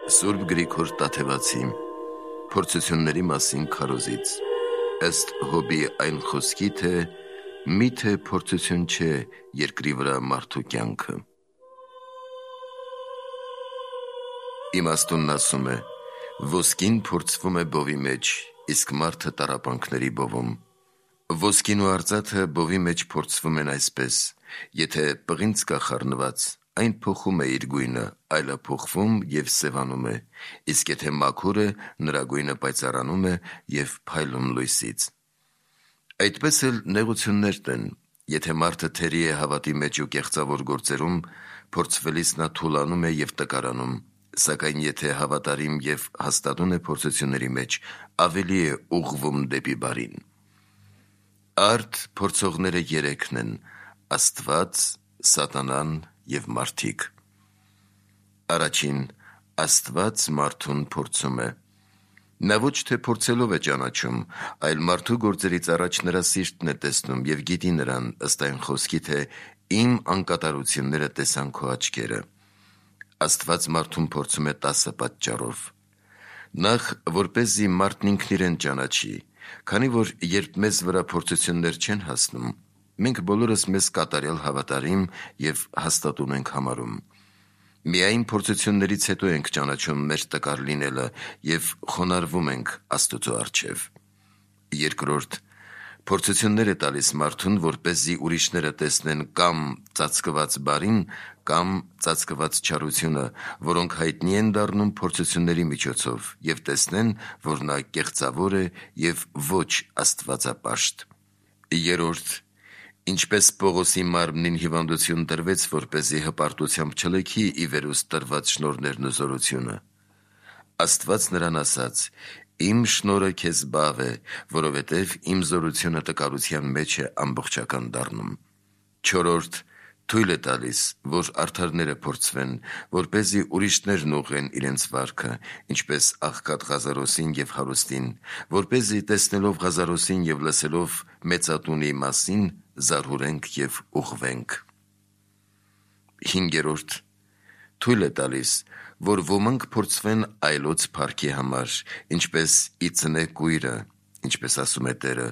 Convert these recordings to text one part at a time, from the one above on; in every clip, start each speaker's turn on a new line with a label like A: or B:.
A: Սուրբ Գրիգոր Տաթևացի Փորձությունների մասին քարոզից ըստ Հոբի այն խոսքի, թե միթե փորձություն չէ երկրի վրա մարդու կյանքը։ Իմաստունն ասում է. ոսկին փորձվում է բովի մեջ, իսկ մարդը տառապանքների բովում։ Ոսկին ու արծաթը բովի մեջ փորձվում են այսպես. եթե պղինձ կա խառնված, այն փոխում է իր գույնը, այլափոխվում և սևանում է, իսկ եթե մաքուր է, նրա գույնը պայծառանում է և փայլում լույսից։ Այդպես էլ նեղություններն են, եթե մարդը թերի է հավատի մեջ ու կեղծավոր գործերում, փորձվելիս նա թուլանում է և տկարանում, սակայն եթե հավատարիմ և հաստատուն է փորձությունների մեջ, ավելի է ուղղվում դեպի բարին։ Արդ փորձողները երեքն են՝ Աստված, Սատանան և մարդիկ։ Առաջին՝ Աստված մարդուն փորձում է։ Նա ոչ թե փորձելով է ճանաչում, այլ մարդու գործերից առաջ նրա սիրտն է տեսնում և գիտի նրան, ըստ այն խոսքի, թե իմ անկատարությունները տեսան քո աչքերը։ Աստված մարդուն փորձում է 10 պատճառով։ Նախ, որպեսզի մարդն ինքն իրեն ճանաչի, քանի որ երբ մեզ վրա փորձություններ չեն հասնում, մենք բոլորս մեզ կատարյալ հավատարիմ և հաստատուն ենք համարում։ Միայն փորձություններից հետո ենք ճանաչում մեր տկար լինելը և խոնարհվում ենք Աստծո առջև։ Երկրորդ, փորձություններ է տալիս մարդուն, որպեսզի ուրիշները տեսնեն կամ ծածկված բարին, կամ ծածկված չարությունը, որոնք հայտնի են դառնում փորձությունների միջոցով, և տեսնեն, որ նա կեղծավոր է և ոչ աստվածապաշտ։ Երրորդ, ինչպես Պողոսի մարմնին հիվանդություն տրվեց, որպեսզի հպարտությամբ չլքի ի վերուստ տրված շնորհներն ու զորությունը, Աստված նրան ասաց. «Իմ շնորհը քեզ բավ է, որովհետև իմ զորությունը տկարության մեջ է ամբողջական դառնում»։ Չորրորդ, թույլ է տալիս, որ արդարները փորձվեն, որպեսզի ուրիշներն ուղղեն իրենց վարքը, ինչպես աղքատ Ղազարոսին և հարուստին, որպեսզի տեսնելով Ղազարոսին և լսելով մեծատունի մասին, զարհուրենք և ուղղվենք։ Հինգերորդ, թույլ է տալիս, որ ոմանք փորձվեն այլոց փառքի համար, ինչպես ի ծնե կույրը, ինչպես ասում է Տերը,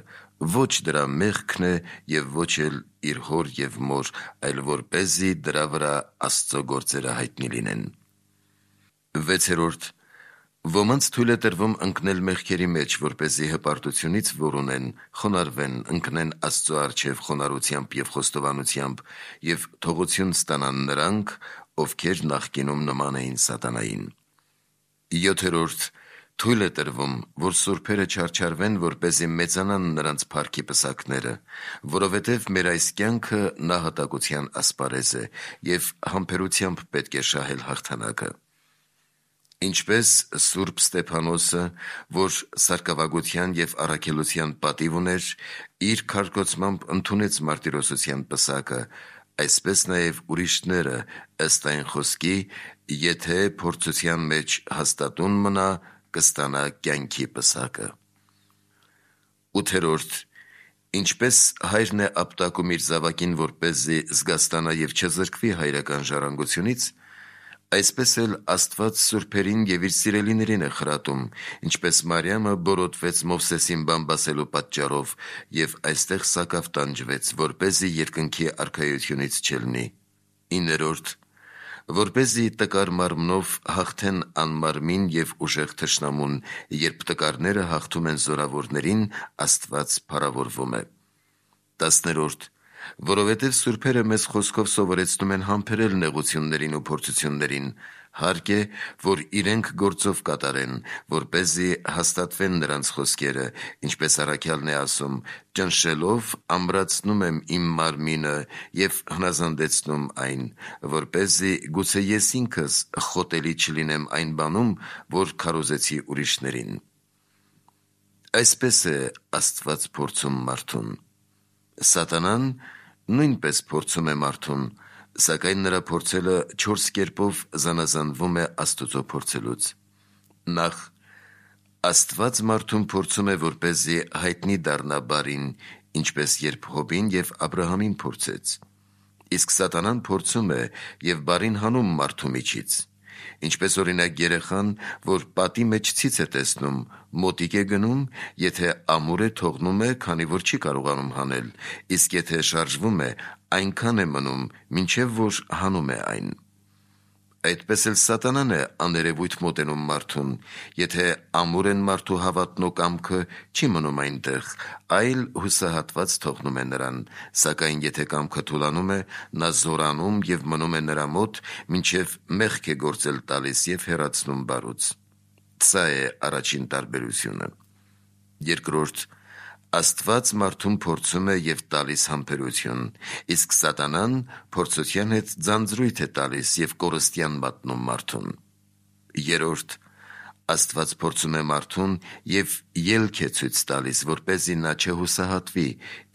A: ոչ դրա մեղքն է և ոչ էլ իր հոր և մոր, այլ որպեսզի դրա վրա Աստծո գործերը հայտնի լինեն։ Վեցերորդ, ոմանց թույլ է տրվում ընկնել մեղքերի մեջ, որպեսզի հպարտությունից, որ ունեն, խոնարհվեն, ընկնեն Աստծո առջև խոնարհությամբ և խոստովանությամբ և թողություն ստանան նրանք, ովքեր նախկինում նման էին սատանային։ Յոթերորդ, թույլ է տրվում, որ սուրբերը չարչարվեն, որպեսզի մեծանան նրանց փառքի պսակները, որովհետև մեր այս կյանքը նահատակության ասպարեզ է, և համբերությամբ պետք է շահել հաղթանակը։ Ինչպես Սուրբ Ստեփանոսը, որ սարկավագության և առաքելության պատիվ ուներ, իր քարկոծմամբ ընդունեց մարտիրոսության պսակը, այսպես նաև ուրիշները, ըստ այն խոսքի, եթե փորձության մեջ հաստատուն մնա, կստանա կյանքի պսակը։ Ութերորդ, ինչպես հայրն է ապտակում իր զավակին, որպեսզի զգաստանա և չզրկվի հայրական ժառանգությունից, այսպես էլ Աստված սուրբերին և իր սիրելիներին է խրատում, ինչպես Մարիամը բորոտվեց Մովսեսին բամբասելու պատճառով և այստեղ սակավ տանջվեց, որպեսզի երկնքի արքայությունից չելնի։ Իներորդ, որպեսզի տկար մարմնով հաղթեն անմարմին և ուժեղ թշնամուն, երբ տկարները հաղթում են զորավորներին, Աստված փառավորվում է։ 10-րդ, որովհետև սուրբերը մեզ խոսքով սովորեցնում են համբերել նեղություններին ու փորձություններին, հարկ է, որ իրենք գործով կատարեն, որպեսզի հաստատվեն նրանց խոսքերը, ինչպես առաքյալն է ասում. «Ճնշելով ամրացնում եմ իմ մարմինը և հնազանդեցնում այն, որպեսզի գուցե ես ինքս խոտելի չլինեմ այն բանում, որ քարոզեցի ուրիշներին»։ Այսպես է Աստված փորձում մարդուն։ Սատանան նույնպես փորձում է մարդուն, սակայն նրա փորձելը 4 կերպով զանազանվում է Աստծո փորձելուց։ Նախ, Աստված մարդուն փորձում է, որպեսզի հայտնի դառնա բարին, ինչպես երբ Հոբին և Աբրահամին փորձեց։ Իսկ սատանան փորձում է և բարին հանում մարդու միջից։ Ինչպես օրինակ երեխան, որ պատի մեջ ցից է տեսնում, մոտիկ է գնում, եթե ամուր է թողնում է, քանի որ չի կարողանում հանել, իսկ եթե շարժվում է, այնքան է մնում, մինչև որ հանում է այն։ Այդպես էլ սատանան է աներևույթ մոտենում մարդուն, եթե ամուր են մարդու հավատն ու կամքը, չի մնում այնտեղ, այլ հուսահատված թողնում է նրան, սակայն եթե կամքը թուլանում է, նա զորանում և մնում է նրա մոտ, մինչև մեղք է գործել տալիս և հեռացնում բարուց։ Սա է առաջին տարբերությունը։ Երկրորդ, Աստված մարդուն փորձում է և տալիս համբերություն, իսկ սատանան փորձության հետ ձանձրույթ է տալիս և կորստյան մատնում մարդուն։ Երրորդ, Աստված փորձում է մարդուն և ելք է ցույց տալիս, որպեսզի նա չհուսահատվի,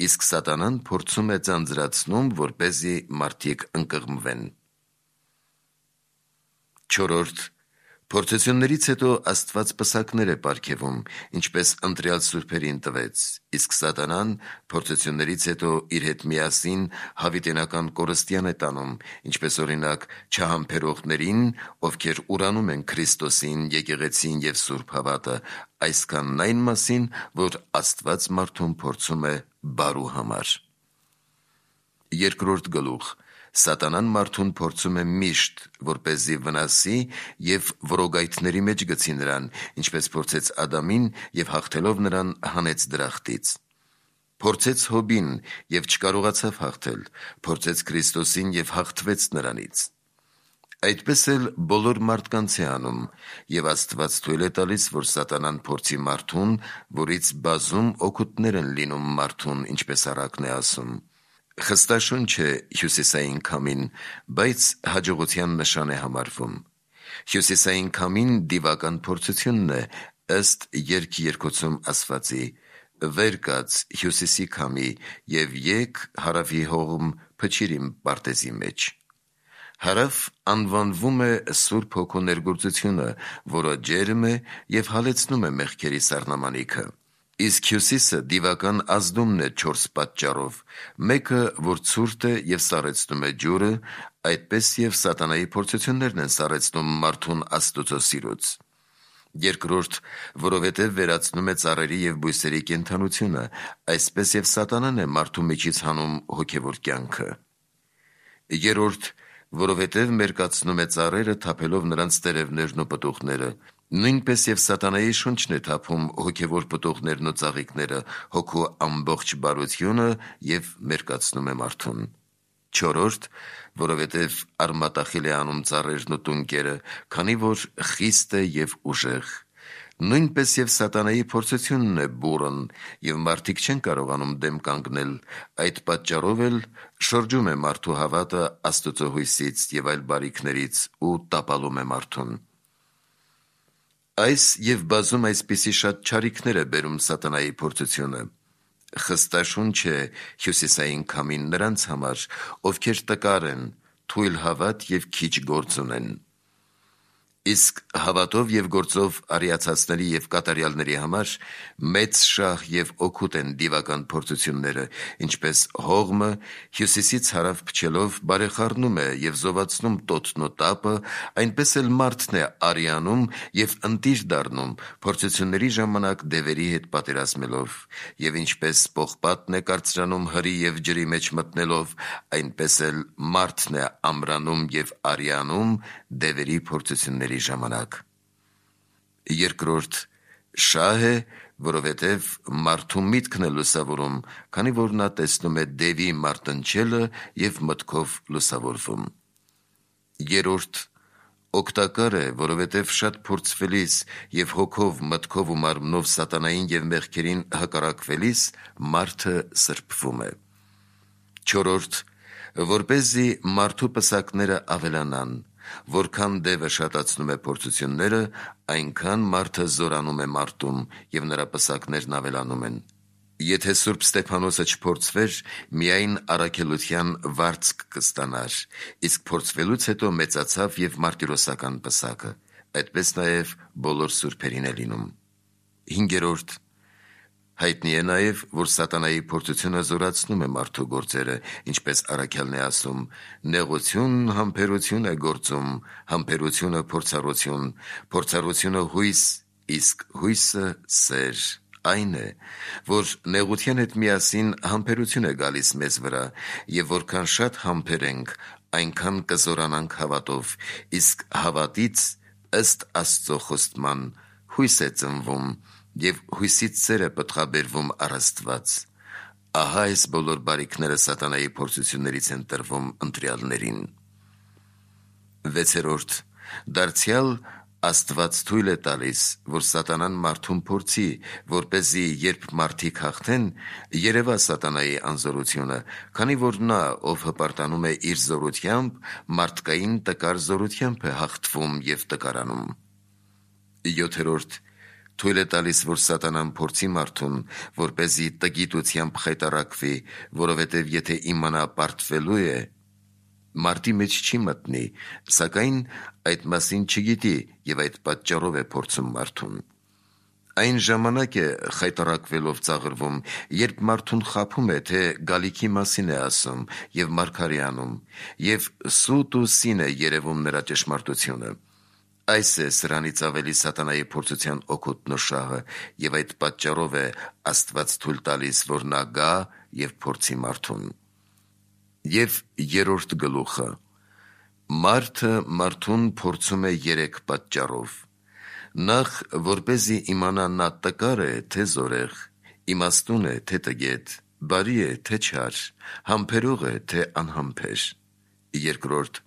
A: իսկ սատանան փորձում է ձանձրացնում, որպեսզի մարդիկ ընկղմվեն։ Չորրորդ, Փորձություններից հետո Աստված պսակներ է պարգևում, ինչպես ընտրյալ սուրբերին տվեց, իսկ սատանան փորձություններից հետո իր հետ միասին հավիտենական կորստյան է տանում, ինչպես օրինակ չհամբերողներին, ովքեր ուրանում են Քրիստոսին, եկեղեցին և սուրբ հավատը, այսքանն այն մասին, որ Աստված մարդուն փորձում է բարու համար։ Երկրորդ գլուխ. Սատանան մարդուն փորձում է միշտ, որպեսզի վնասի և որոգայթների մեջ գցի նրան, ինչպես փորձեց Ադամին և հաղթելով նրան հանեց դրախտից։ Փորձեց Հոբին և չկարողացավ հաղթել, փորձեց Քրիստոսին և հաղթվեց նրանից։ Այդպես էլ բոլոր մարդկանց է անում, և Աստված թույլ է տալիս, որ սատանան փորձի մարդուն, որից բազում օգուտներ են լինում մարդուն, ինչպես առակն է ասում։ Խստաշունչ է հյուսիսային քամին, բայց հաջողության նշան է համարվում։ Հյուսիսային քամին դիվական փորձությունն է, ըստ Երգ երկոցում ասվածի. «Վեր կաց հյուսիսի քամի և եկ հարավի հողմ փչիր իմ պարտեզի մեջ»։ Հարավ անվանվում է Սուրբ Հոգու ներգործությունը, որը ջերմ է և հալեցնում է մեղքերի սառնամանիքը։ Իսկ հյուսիսը դիվական ազդումն է 4 պատճառով. մեկը, որ ցուրտ է և սառեցնում է ջուրը, այդպես և սատանայի փորձություններն են սառեցնում մարդուն Աստծո սիրուց։ Երկրորդ, որովհետև վերացնում է ծառերի և բույսերի կենդանությունը, այսպես և սատանան է մարդու միջից հանում հոգևոր կյանքը։ Երրորդ, որովհետև մերկացնում է ծառերը, թափելով նրանց տերևներն ու պտուղները, նույնպես և սատանայի շունչն է թափում հոգևոր պտուղներն ու ծաղիկները, հոգու ամբողջ բարությունը և մերկացնում է մարդուն։ Չորրորդ, որովհետև արմատախիլ է անում ծառերն ու տունկերը, քանի որ խիստ է և ուժեղ։ Նույնպես և սատանայի փորձությունն է բուռն, և մարդիկ չեն կարողանում դեմ կանգնել, այդ պատճառով էլ շրջում է մարդու հավատը Աստծո հույսից և այլ բարիքներից ու տապալում է մարդուն։ Այս և բազում այսպիսի շատ չարիքներ է բերում սատանայի փորձությունը։ Խստաշունչ է հյուսիսային քամին նրանց համար, ովքեր տկար են, թույլ հավատ և քիչ գործ ունեն։ Իսկ հավատով և գործով արիացածների և կատարյալների համար մեծ շահ և օգուտ են դիվական փորձությունները, ինչպես հողմը հյուսիսից հարավ փչելով բարեխառնում է և զովացնում տոտն ու տապը, այնպես էլ մարդն է արիանում և ընտիր դառնում փորձությունների ժամանակ դևերի հետ պատերազմելով, և ինչպես պողպատն է կարծրանում հրի և ջրի մեջ մտնելով, այնպես էլ մարդն է ամրանում և արիանում դևերի փորձությունների ժամանակ։ Երկրորդ, շահ է, որովհետև մարդու միտքն է լուսավորում, քանի որ նա տեսնում է դևի մարտնչելը և մտքով լուսավորվում։ Երրորդ, օգտակար է, որովհետև շատ փորձվելիս և հոգով, մտքով ու մարմնով սատանային և մեղքերին հակառակվելիս մարդը սրբվում է։ Չորրորդ, որպեսզի մարդու պսակները ավելանան, որքան դևը շատացնում է փորձությունները, այնքան մարդը զորանում է մարտում, և նրա պսակներն ավելանում են։ Եթե Սուրբ Ստեփանոսը չփորձվեր, միայն առաքելության վարձք կստանար, իսկ փորձվելուց հետո մեծացավ և մարտիրոսական պսակը, այդպես նաև բոլոր սուրբերին է լինում։ Հինգերորդ, Հայտնի է նաև, որ սատանայի փորձությունը զորացնում է մարդու գործերը, ինչպես առաքյալն է ասում. «Նեղություն համբերություն է գործում, համբերությունը փորձառություն, փորձառությունը հույս, իսկ հույսը սեր»։ Այն է, որ նեղության հետ միասին համբերություն է գալիս մեզ վրա, եւ որքան շատ համբերենք, այնքան կզորանանք հավատով, իսկ հավատից ըստ Աստծո խոստման հույս է ծնվում, եւ հույսից սեր է պտղաբերվում առ Աստված։ Ահա այս բոլոր բարիքները սատանայի փորձություններից են տրվում ընտրյալներին։ 6. Դարձյալ Աստված թույլ է տալիս, որ սատանան մարդուն փորձի, որպեսզի երբ մարդիկ հաղթեն, երևա սատանայի անզորությունը, քանի որ նա, ով հպարտանում է իր զորությամբ, մարդկային տկար զորությամբ է հաղթվում եւ տկարանում։ 7. Թույլ է տալիս, որ սատանան փորձի մարդուն, որպեսզի տգիտությամբ խայտառակվի, որովհետև եթե իմանա պարտվելու է, մարդի մեջ չի մտնի, սակայն այդ մասին չգիտի եւ այդ պատճառով է փորձում մարդուն։ Այն ժամանակ է խայտառակվելով ծաղրվում, երբ մարդուն խաբում է, թե գալիքի մասին է ասում եւ մարգարի անում, եւ սուտ ու սին է երևում նրա ճշմարտությունը։ Այս է սրանից ավելի սատանայի փորձության օգուտն ու շահը, եւ այդ պատճառով է Աստված թույլ տալիս, որ նա գա եւ փորձի մարդուն։ Եվ 3 գլուխը. Մարդը մարդուն փորձում է 3 պատճառով. Նախ, որպեսզի իմանա նա տկար է, թե զորեղ, իմաստուն է, թե տգետ, բարի է, թե չար, համբերող է, թե անհամբեր։ 2.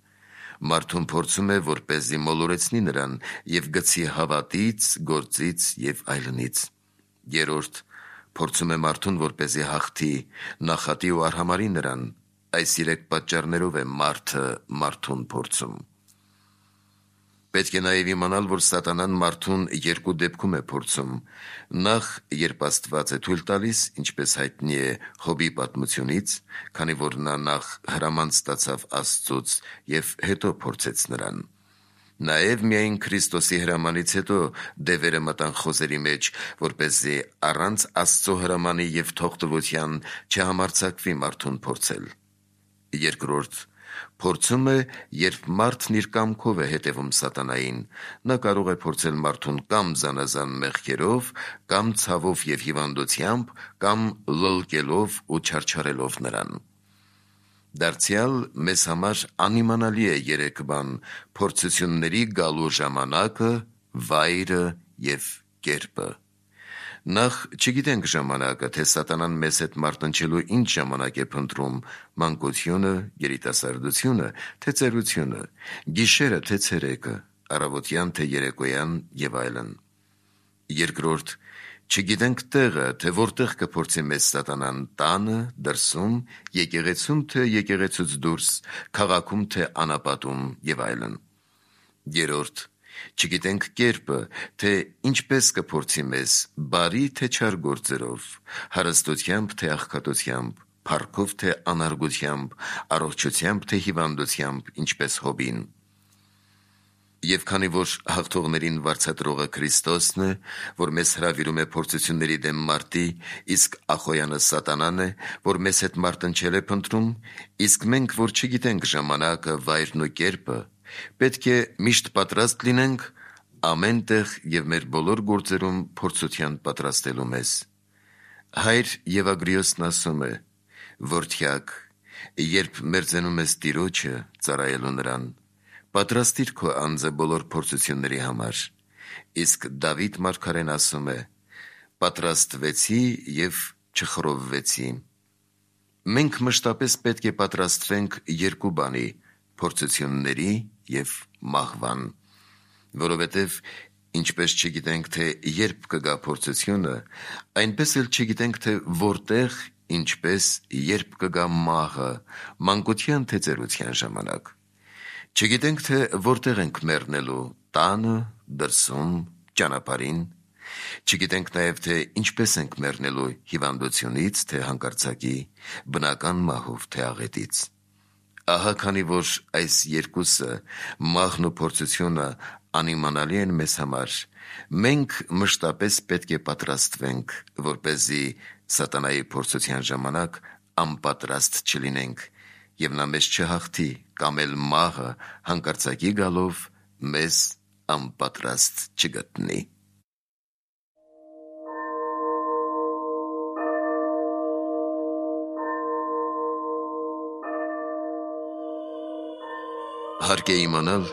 A: Մարդուն փորձում է, որպեսզի մոլորեցնի նրան եւ գցի հավատից, գործից եւ այլնից։ 3. Փորձում է մարդուն, որպեսզի հաղթի, նախատի ու արհամարի նրան։ Այս 3 պատճառներով է մարդը մարդուն փորձում։ Պետք է նաև իմանալ, որ սատանան մարդուն 2 դեպքում է փորձում։ Նախ, երբ Աստված է թույլ տալիս, ինչպես հայտնի է Հոբի պատմությունից, քանի որ նա նախ հրաման ստացավ Աստծուց եւ հետո փորձեց նրան։ Նաև միայն Քրիստոսի հրամանից հետո դևերը մտան խոզերի մեջ, որպեսզի առանց Աստծո հրամանի եւ թողտվության չհամարձակվի մարդուն փորձել։ 2. Փորձում է, երբ մարդն իր կամքով է հետևում սատանային, նա կարող է փորձել մարդուն կամ զանազան մեղքերով, կամ ցավով եւ հիվանդությամբ, կամ լլկելով ու չարչարելով նրան։ Դարձյալ մեզ համար անիմանալի է 3 բան՝ փորձությունների գալու ժամանակը, վայրը եւ կերպը։ Նախ, չգիտենք ժամանակը, թե սատանան մեզ հետ մարտնչելու ինչ ժամանակ է փնտրում՝ մանկությունը, երիտասարդությունը, թե ծերությունը, գիշերը, թե ցերեկը, առավոտյան, թե երեկոյան եւ այլն։ 2. Չգիտենք տեղը, թե որտեղ կփորձի մեզ սատանան՝ տանը, դրսում, եկեղեցում, թե եկեղեցուց դուրս, քաղաքում, թե անապատում եւ այլն։ 3. Չգիտենք կերպը, թե ինչպես կփորձի մեզ՝ բարի թե չար գործերով, հարստությամբ թե աղքատությամբ, փառքով թե անարգությամբ, առողջությամբ թե հիվանդությամբ, ինչպես Հոբին։ Եվ քանի որ հաղթողներին վարձատրողը Քրիստոսն է, որ մեզ հրավիրում է փորձությունների դեմ մարտի, իսկ Ախոյանը սատանան է, որ մեզ հետ մարտնչել է փնտրում, իսկ մենք, որ չգիտենք ժամանակը, վայրն ու կերպը, պետք է միշտ պատրաստ լինենք ամեն տեղ եւ մեր բոլոր գործերում փորձության պատրաստելու մեզ։ Հայր Եվագրիոսն ասում է. «Որդյակ, երբ մերձենում ես Տիրոջը, ծառայելու նրան, պատրաստիր քո անձը բոլոր փորձությունների համար»։ Իսկ Դավիթ մարգարեն ասում է. «Պատրաստվեցի եւ չխռովվեցի»։ Մենք մշտապես պետք է պատրաստվենք 2 բանի՝ փորձությունների եւ մահվան, որովհետեւ ինչպես չգիտենք, թե երբ կգա փորձությունը, այնպես էլ չգիտենք, թե որտեղ, ինչպես, երբ կգա մահը, մանկության թե ծերության ժամանակ։ Չգիտենք, թե որտեղ ենք մեռնելու՝ տանը, դրսում, ճանապարհին։ Չգիտենք նաև, թե ինչպես ենք մեռնելու՝ հիվանդությունից, թե հանկարծակի, բնական մահով, թե աղետից։ Ահա քանի որ այս երկուսը՝ մահն ու փորձությունը, անիմանալի են մեզ համար, մենք մշտապես պետք է պատրաստվենք, որպեսզի սատանայի փորձության ժամանակ անպատրաստ չլինենք, և նա մեզ չհաղթի կամ էլ մահը հանկարծակի գալով մեզ անպատրաստ չգտնի։ Հարկ է իմանալ,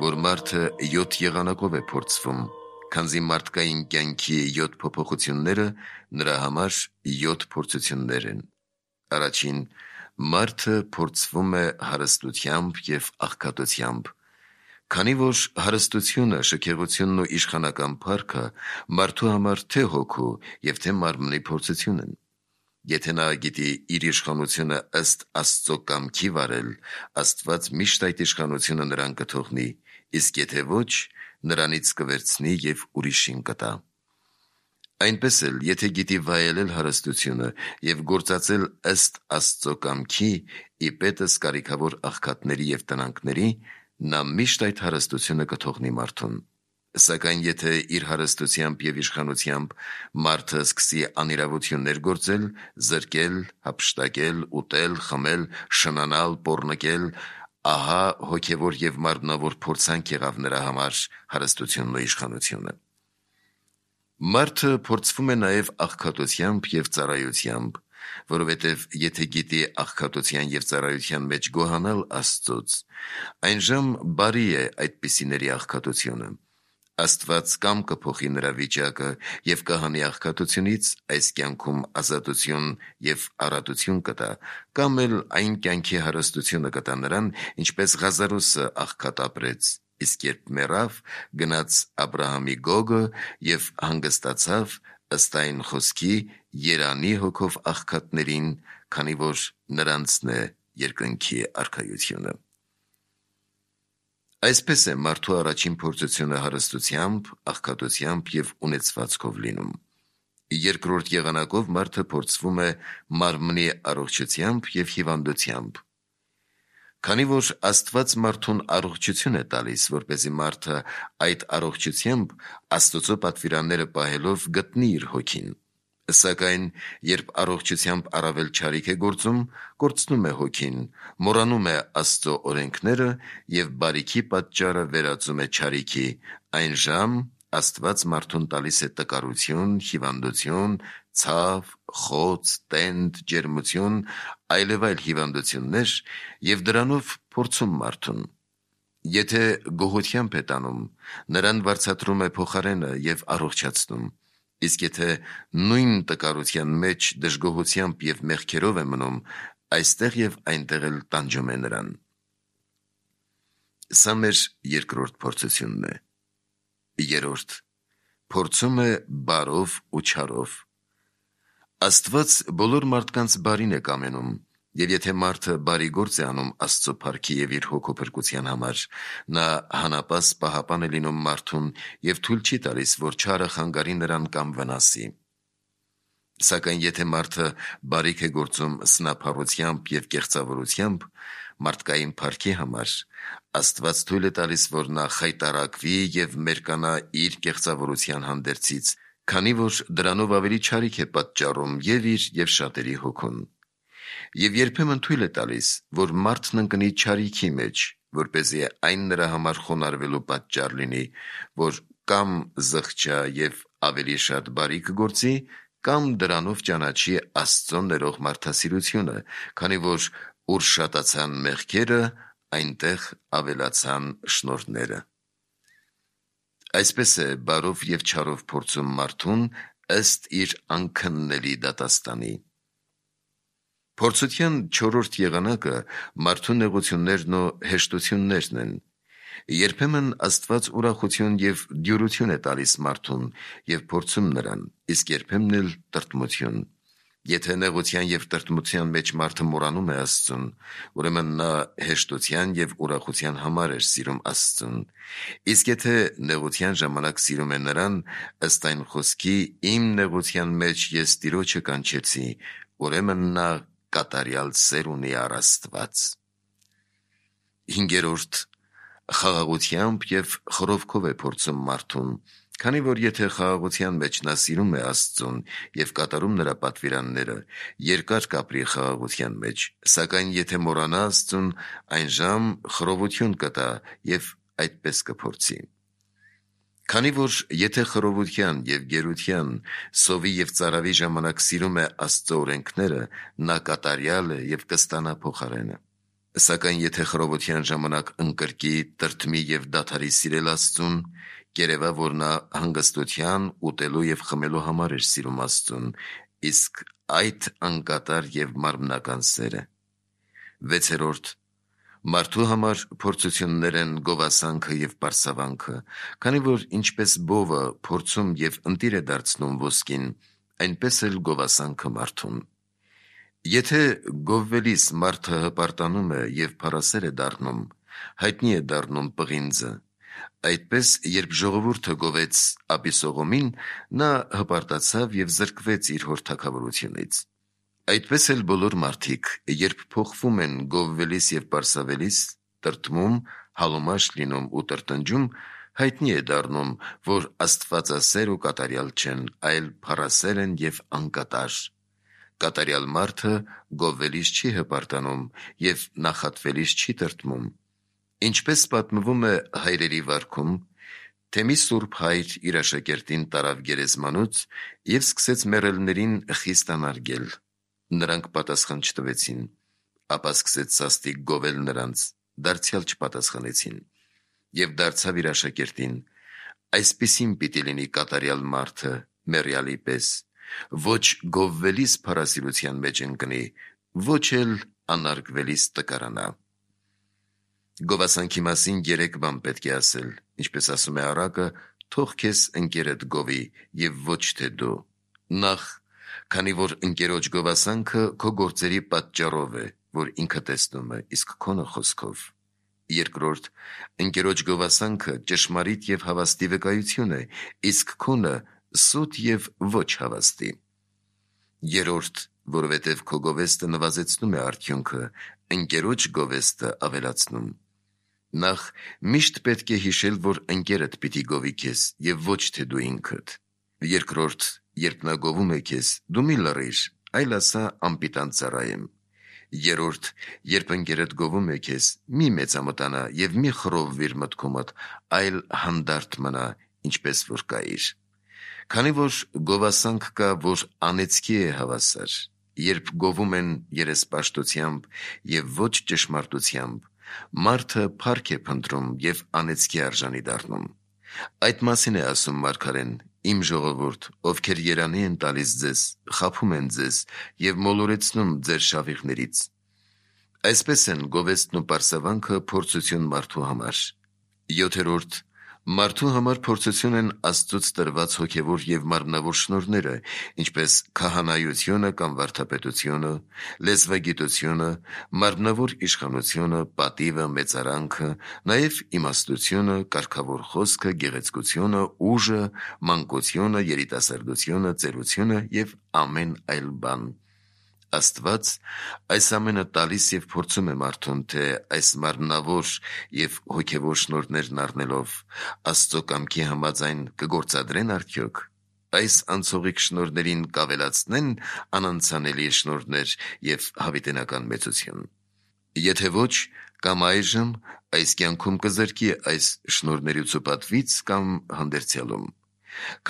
A: որ մարդը 7 եղանակով է փորձվում, քանզի մարդկային կյանքի 7 փոփոխությունները նրա համար 7 փորձություններ են։ Առաջին, մարդը փորձվում է հարստությամբ և աղքատությամբ, քանի որ հարստությունը, շքեղությունն ու իշխանական փառքը մարդու համար թե հոգու և թե մարմնի փորձություն են։ Եթե նա գիտի իր իշխանությունը ըստ Աստծո կամքի վարել, Աստված միշտ այդ իշխանությունը նրան կթողնի, իսկ եթե ոչ, նրանից կվերցնի և ուրիշին կտա։ Այնպես էլ, եթե գիտի վայելել հարստությունը և գործածել ըստ Աստծո կամքի, ի պետս կարիքավոր աղքատների և տնանքների, նա միշտ այդ հարստությունը կթողնի մարդուն։ Սակայն եթե իր հարստությամբ և իշխանությամբ մարդը սկսի անիրավություններ գործել, զրկել, հափշտակել, ուտել, խմել, շնանալ, պոռնկել, ահա հոգևոր և մարմնավոր փորձանք եղավ նրա համար հարստությունն ու իշխանությունը։ Մարդը փորձվում է նաև աղքատությամբ և ծառայությամբ, որովհետև եթե գիտի աղքատության և ծառայության մեջ գոհանալ Աստծուց, այնժամ բարի է այդպիսիների աղքատությունը։ Աստված կամ կփոխի նրա վիճակը և կհանի աղքատությունից այս կյանքում ազատություն և առատություն կտա, կամ էլ այն կյանքի հարստությունը կտա նրան, ինչպես Ղազարոսը աղքատ ապրեց, իսկ երբ մեռավ, գնաց Աբրահամի գոգը և հանգստացավ ըստ այն խոսքի երանի հոգով աղքատներին, քանի որ նրանցն է երկնքի արքայությունը։ Այսպես է մարդու առաջին փորձությունը հարստությամբ, աղքատությամբ և ունեցվածքով լինում։ Երկրորդ եղանակով մարդը փորձվում է մարմնի առողջությամբ և հիվանդությամբ։ Քանի որ Աստված մարդուն առողջություն է տալիս, որպեսզի մարդը այդ առողջությամբ Աստծո պատվիրանները պահելով գտնի իր հոգին, սակայն երբ առողջությամբ առավել չարիք է գործում, կորցնում է հոգին, մոռանում է Աստծո օրենքները և բարիքի պատճառը վերածում է չարիքի, այնժամ Աստված մարդուն տալիս է տկարություն, հիվանդություն, ցավ, խոց, տենդ, ջերմություն, այլևայլ հիվանդություններ և դրանով փորձում մարդուն։ Եթե գոհությամբ է տանում, նրան վարձատրում է փոխարենը և առողջացնում, իսկ եթե նույն տկարության մեջ դժգոհությամբ և մեղքերով է մնում, այստեղ և այնտեղ էլ տանջում է նրան։ Սա մեր երկրորդ փորձությունն է։ Երրորդ, փորձում է բարով ու չարով։ Աստված բոլոր մարդկանց բարին է կամենում, և եթե մարդը բարի գործ է անում Աստծո փառքի և իր հոգու փրկության համար, նա հանապաս պահապան է լինում մարդուն և թույլ չի տալիս, որ չարը խանգարի նրան կամ վնասի։ Սակայն եթե մարդը բարիք է գործում սնափառությամբ և կեղծավորությամբ մարդկային փառքի համար, Աստված թույլ է տալիս, որ նա խայտառակվի և մերկանա իր կեղծավորության հանդերձից, քանի որ դրանով ավելի չարիք է պատճառում և իր և շատերի հոգուն։ Եվ երբեմն թույլ է տալիս, որ մարդն ընկնի չարիքի մեջ, որպեսզի այն նրա համար խոնարհվելու պատճառ լինի, որ կամ զղջա և ավելի շատ բարիք գործի, կամ դրանով ճանաչի Աստծո ներող մարդասիրությունը, քանի որ ուր շատացան մեղքերը, այնտեղ ավելացան շնորհները։ Այսպես է բարով և չարով փորձում մարդուն ըստ իր անքննելի դատաստանի։ Փորձության չորրորդ եղանակը մարդու նեղություններն ու հեշտություններն են։ Երբեմն Աստված ուրախություն և դյուրություն է տալիս մարդուն և փորձում նրան, իսկ երբեմն էլ տրտմություն։ Եթե նեղության և տրտմության մեջ մարդը մոռանում է Աստծուն, ուրեմն նա հեշտության և ուրախության համար էր սիրում Աստծուն, իսկ եթե նեղության ժամանակ սիրում է նրան, ըստ այն խոսքի «Իմ նեղության մեջ ես Տիրոջը կանչեցի», ուրեմն նա կատարյալ սեր ունի առ Աստված։ Հինգերորդ, խաղաղությամբ և խռովքով է փորձում մարդուն, քանի որ եթե խաղաղության մեջ նա սիրում է Աստծուն և կատարում նրա պատվիրանները, երկար կապրի խաղաղության մեջ, սակայն եթե մոռանա Աստծուն, այնժամ խռովություն կտա և այդպես կփորձի։ Քանի որ եթե խռովության և գերության, սովի և ծարավի ժամանակ սիրում է Աստծո օրենքները, նա կատարյալ է և կստանա փոխարենը։ Սակայն եթե խռովության ժամանակ ընկրկի, տրտմի և դադարի սիրել Աստծուն, կերևա, որ նա հանգստության, ուտելու և խմելու համար էր սիրում Աստծուն, իսկ այդ անկատար և մարմնական սեր է։ 6. Մարդու համար փորձություններ են գովասանքը և պարսավանքը, քանի որ ինչպես բովը փորձում և ընտիր է դարձնում ոսկին, այնպես էլ գովասանքը մարդուն։ Եթե գովվելիս մարդը հպարտանում է և փառասեր է դառնում, հայտնի է դառնում պղինձը, այդպես երբ ժողովուրդը գովեց Աբիսողոմին, նա հպարտացավ և զրկվեց իր հոր թագավորությունից։ Այդպես էլ բոլոր մարդիկ, երբ փոխվում են գովվելիս և պարսավելիս, տրտմում, հալոմաշ լինում ու տրտնջում, հայտնի է դառնում, որ աստվածասեր ու կատարյալ չեն, այլ փառասեր են և անկատար։ Կատարյալ մարդը գովվելիս չի հպարտանում և նախատվելիս չի տրտմում։ Ինչպես պատմվում է հայրերի վարքում, թե մի սուրբ հայր իր աշակերտին տարավ գերեզմանոց և սկսեց մեռելներին խիստ անարգել։ Նրանք պատասխան չտվեցին, ապա սկսեց սաստիկ գովել նրանց, դարձյալ չպատասխանեցին։ Եվ դարձավ իր աշակերտին. այսպիսին պիտի լինի կատարյալ մարդը մեռյալի պես, ոչ գովվելիս փառասիրության մեջ ընկնի, ոչ էլ անարգվելիս տկարանա։ Գովասանքի մասին 3 բան պետք է ասել, ինչպես ասում է առակը, թող քեզ ընկերդ գովի և ոչ թե դու։ Նախ, քանի որ ընկերոջ գովասանքը քո գործերի պատճառով է, որ ինքը տեսնում է, իսկ քոնը խոսքով։ Երկրորդ, ընկերոջ գովասանքը ճշմարիտ և հավաստի վկայություն է, իսկ քոնը սուտ և ոչ հավաստի։ Երրորդ, որովհետև քո գովեստը նվազեցնում է արդյունքը, ընկերոջ գովեստը ավելացնում։ Նախ, միշտ պետք է հիշել, որ ընկերդ պիտի գովի քեզ և ոչ թե դու ինքդ։ Երկրորդ, երբ նա գովում է քեզ, դու մի լռիր, այլ ասա անպիտան ծառայեմ։ Երրորդ, երբ ընկերդ գովում է քեզ, մի մեծամտանա և մի խռովվիր մտքումդ, այլ հանդարտ մնա, ինչպես որ կայիր։ Քանի որ գովասանք կա, որ անեծքի է հավասար, երբ գովում են երեսպաշտությամբ և ոչ ճշմարտությամբ, մարդը փառք է փնտրում և անեծքի արժանի դառնում։ Այդ մասին է ասում մարգարեն. «Իմ ժողովուրդ, ովքեր երանի են տալիս ձեզ, խաբում են ձեզ և մոլորեցնում ձեր շավիղներից»։ Այսպես են գովեստն ու պարսավանքը փորձություն մարդու համար։ 7. Մարդու համար փորձություն են Աստծուց տրված հոգևոր և մարմնավոր շնորհները, ինչպես քահանայությունը կամ վարդապետությունը, լեզվագիտությունը, մարմնավոր իշխանությունը, պատիվը, մեծարանքը, նաև իմաստությունը, կարգավոր խոսքը, գեղեցկությունը, ուժը, մանկությունը, երիտասարդությունը, ծերությունը և ամեն այլ բան։ Աստված այս ամենը տալիս և փորձում է մարդուն, թե այս մարմնավոր և հոգևոր շնորհներն առնելով Աստծո կամքի համաձայն կգործադրեն արդյոք, այս անցողիկ շնորհներին կավելացնեն անանցանելի շնորհներ և հավիտենական մեծություն։ Եթե ոչ, կամ այժմ այս կյանքում կզրկի այս շնորհներից ու պատվից, կամ հանդերձյալում։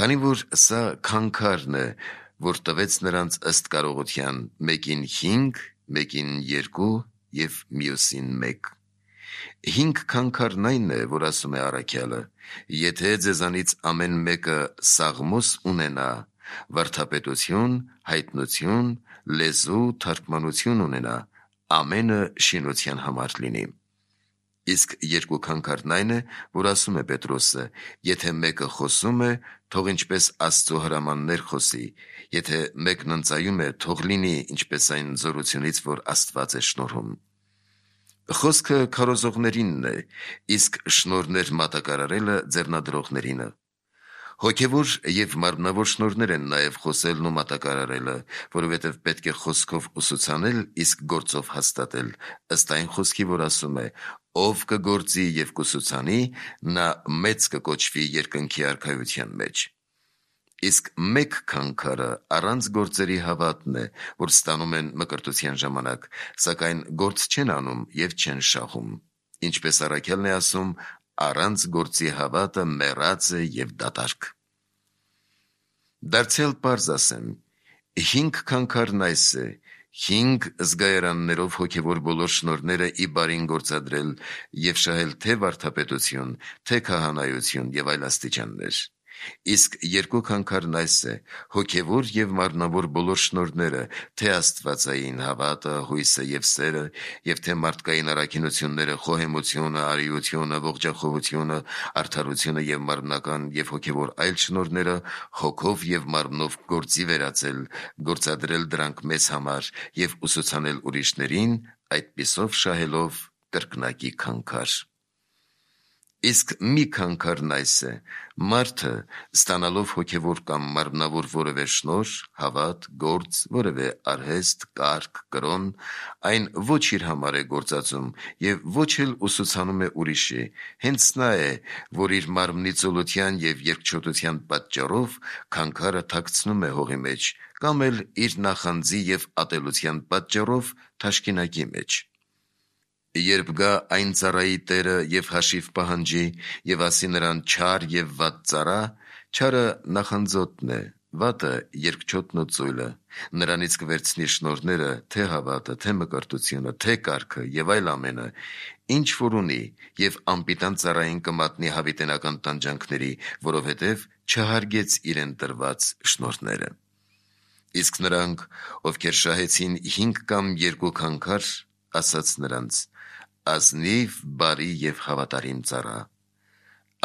A: Քանի որ սա քանքարն է, որ տվեց նրանց ըստ կարողության, մեկին 5, մեկին 2 և մյուսին 1։ 5 քանքարն այն է, որ ասում է առաքյալը. եթե ձեզանից ամեն մեկը սաղմոս ունենա, վարդապետություն, հայտնություն, լեզու, թարգմանություն ունենա, ամենը շինության համար լինի։ Իսկ 2 քանքարն այն է, որ ասում է Պետրոսը. եթե մեկը խոսում է, թող ինչպես Աստծո հրամաններ խոսի, եթե մեկն ընծայում է, թող լինի ինչպես այն զորությունից, որ Աստված է շնորհում։ Խոսքը քարոզողներինն է, իսկ շնորհներ մատակարարելը ձեռնադրողներինը։ Հոգևոր եւ մարմնավոր շնորհներ են նաեւ խոսելն ու մատակարարելը, որովհետեւ պետք է խոսքով ուսուցանել, իսկ գործով հաստատել, ըստ այն խոսքի, որ ասում է. «Ով կգործի եւ կուսուցանի, նա մեծ կկոչվի երկնքի արքայության մեջ»։ Իսկ մեկ քանքարը առանց գործերի հավատն է, որ ստանում են մկրտության ժամանակ, սակայն գործ չեն անում եւ չեն շահում։ Ինչպես առաքյալն է ասում. «Առանց գործի հավատը մեռած է եւ դատարկ»։ Դարձյալ պարզ ասեմ, 5 քանքարն այս է, 5 զգայարաններով հոգևոր բոլոր շնորհները ի բարին գործադրել եւ շահել թե վարդապետություն, թե քահանայություն եւ այլ աստիճաններ։ Իսկ 2 քանքարն այս է, հոգևոր եւ մարմնավոր բոլոր շնորհները, թե աստվածային հավատը, հույսը եւ սերը, եւ թե մարդկային առաքինությունները, խոհեմությունը, արիությունը, ողջախոհությունը, արդարությունը եւ մարմնական եւ հոգևոր այլ շնորհները հոգով եւ մարմնով գործի վերածել, գործադրել դրանք մեզ համար եւ ուսուցանել ուրիշներին, այդպիսով շահելով կրկնակի քանքար։ Իսկ մի քանքարն այս է, մարդը ստանալով հոգևոր կամ մարմնավոր որևէ շնորհ, հավատ, գործ, որևէ արհեստ, կարգ, կրոն, այն ոչ իր համար է գործածում եւ ոչ էլ ուսուցանում է ուրիշի, հենց նա է, որ իր մարմնի ծուլության եւ երկչոտության պատճառով քանքարը թաքցնում է հողի մեջ, կամ էլ իր նախանձի եւ ատելության պատճառով թաշկինակի մեջ։ Երբ գա այն ծառայի տերը եւ հաշիվ պահանջի եւ ասի նրան չար եւ վատ ծառա, չարը նախանձոտն է, վատը երկչոտն ու ծույլը, նրանից կվերցնի շնորհները, թե հավատը, թե մկրտությունը, թե կարգը եւ այլ ամենը, ինչ որ ունի, եւ անպիտան ծառային կմատնի հավիտենական տանջանքների, որովհետեւ չհարգեց իրեն տրված շնորհները։ Իսկ նրանք, ովքեր շահեցին 5 կամ 2 քանքար, ասաց նրանց. ազնիվ, բարի եւ հավատարիմ ծառա։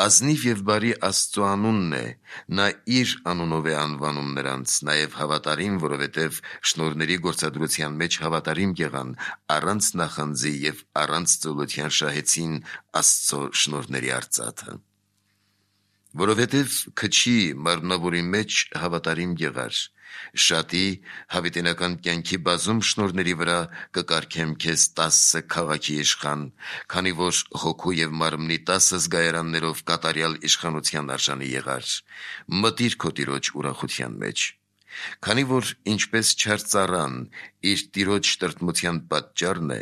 A: Ազնիվ եւ բարի Աստծո անունն է, նա իր անունով է անվանում նրանց, նաեւ հավատարիմ, որովհետեւ շնորհների գործադրության մեջ հավատարիմ եղան, առանց նախանձի եւ առանց ծուլության շահեցին Աստծո շնորհների արծաթը։ Որովհետև քչի մարմնավորի մեջ հավատարիմ եղար, շատի հավիտենական կյանքի բազում շնորհների վրա կկարգեմ քեզ 10 քաղաքի իշխան, քանի որ հոգու եւ մարմնի 10 զգայարաններով կատարյալ իշխանության արժանի եղար, մտիր քո տիրոջ ուրախության մեջ։ Քանի որ ինչպես չար ծառան իր տիրոջ տրտմության պատճառն է,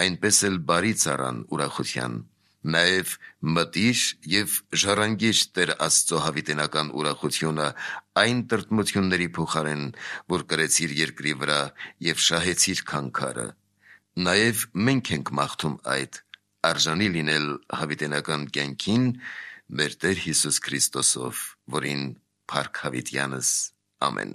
A: այնպես էլ բարի ծառան ուրախության։ Նաև մտիր եւ ժառանգիր Տեր Աստծո հավիտենական ուրախությունը այն տրտմությունների փոխարեն, որ կրեցիր երկրի վրա եւ շահեցիր քանքարը։ Նաև մենք ենք մաղթում այդ, արժանի լինել հավիտենական կյանքին մեր Տեր Հիսուս Քրիստոսով, որին փառք հավիտյանս։ Ամեն։